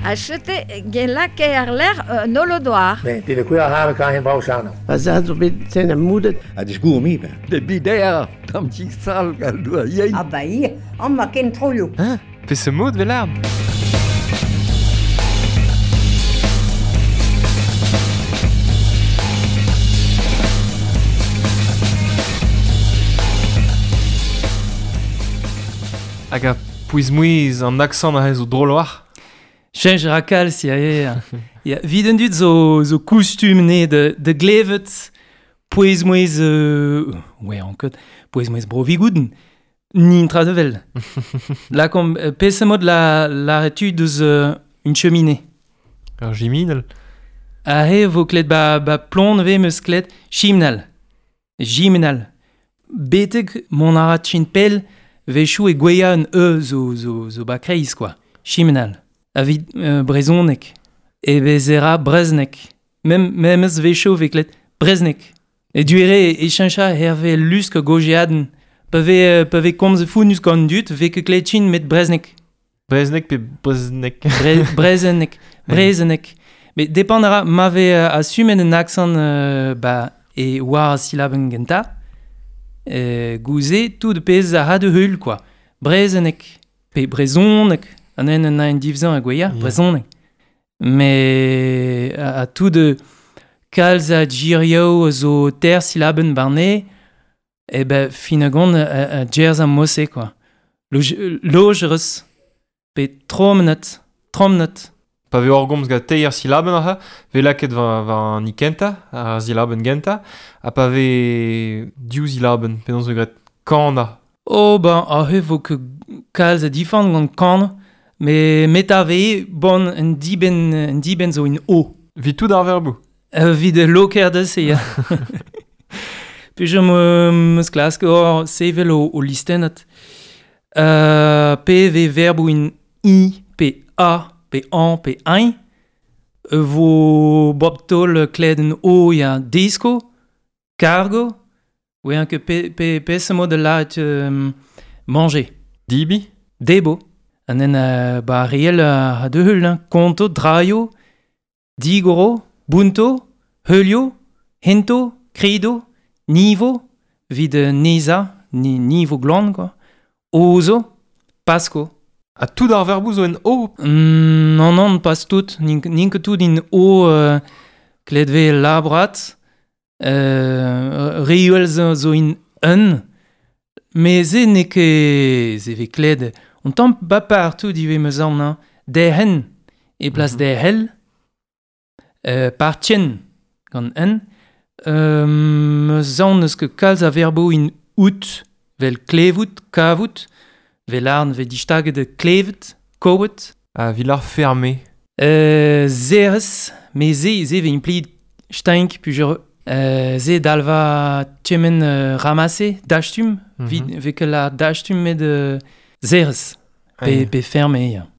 A chete gen lake ar ler nolodoar. Ne, dit de koe have kan hen brau sano. Va zad zo bet ten a moudet. A disgour mi, ben. De bider, tam ti sal gal doa yein. Ah ba ia, an ma ken troio. Hein? Pe se mod vel Hag a pouez-mouez an accent a zo drôle war. Chenj ra kalz, ya, ya, ya. Vid an dud zo, zo kustum ne de, de glevet pouez-mouez... ouais, en ket, pouez-mouez bro vigouden. Nin tra de vel. La kom, pese mod la, la retu deus une cheminée. Ur jiminel. A he vo klet ba, ba plon ve meus klet chimnal. Jiminal. Beteg mon ara chin pel vechou e gweia un e zo, zo, zo ba kreiz, quoi. Chimnal. Avid brezonek. E bezera breznek. Mem, memes vechou ve klet breznek. E duere e chencha herve lusk gojeaden. Pa ve, pa ve komz founus gant dut ve ket kletchin met breznek. Breznek pe breznek. Bre, brezenek. Brezenek. Mais dépend ara ma ve assumen un accent ba e war a silaben genta. Gouze tout de pez a ha de hul, quoi. Brezenek. Pe brezonek. An en an en divzan a gweia, Yeah. brezonek. Mais a tout de kalz a girio zo ter silaben barne, e ben finagont a djerz a mosse, quoi. Lojeres. Pe tromnet. Tromnet. Pa ve orgomz gant teir silaben a ve laket va, va an ikenta, ar silaben genta, ha pa ve div silaben, penaos zo gret kana. Oh ben, a he vo ket kalz a difan gant kan, me meta ve bon un diben, un diben zo in o. Vi tout ar verbou. Vid loker deus e ya. Pe je me meus klask or sevel o, o listennet. Pe ve verbou in i, pe a, pe an, pe ein. Vo bob tol kled en o ya disco, cargo, ou un que pe, pe, pe se mod la et, manger. Dibi. Debo. An en ba riel a de hul, hein. Konto, draio, digoro, bunto, heulio, hento, credo, nivo, vid neza, ni, nivo glan, quoi. Ozo, pasco. Ha tout ar verbou zo en o. Non, non, pas tout. N'int n'int ket tout in o klet ve labrat. Riuel zo, zo in un. Mais ze n'eo ket ze ve kled. On tamm ba partout diwe meus an, hein. Derhen e plas derhel. Partien gant un. Meus an eus ket kalz a verbo in out, vel klevout, kavout, vel arn ve distaget de klevet, koet. A vilar fermé. Zerez, me ze, ze ve implid steink pujur ze dalva tchemen ramassé, dastum, vid, ve ket la dastum met zerez, pe, pe fermé, ya.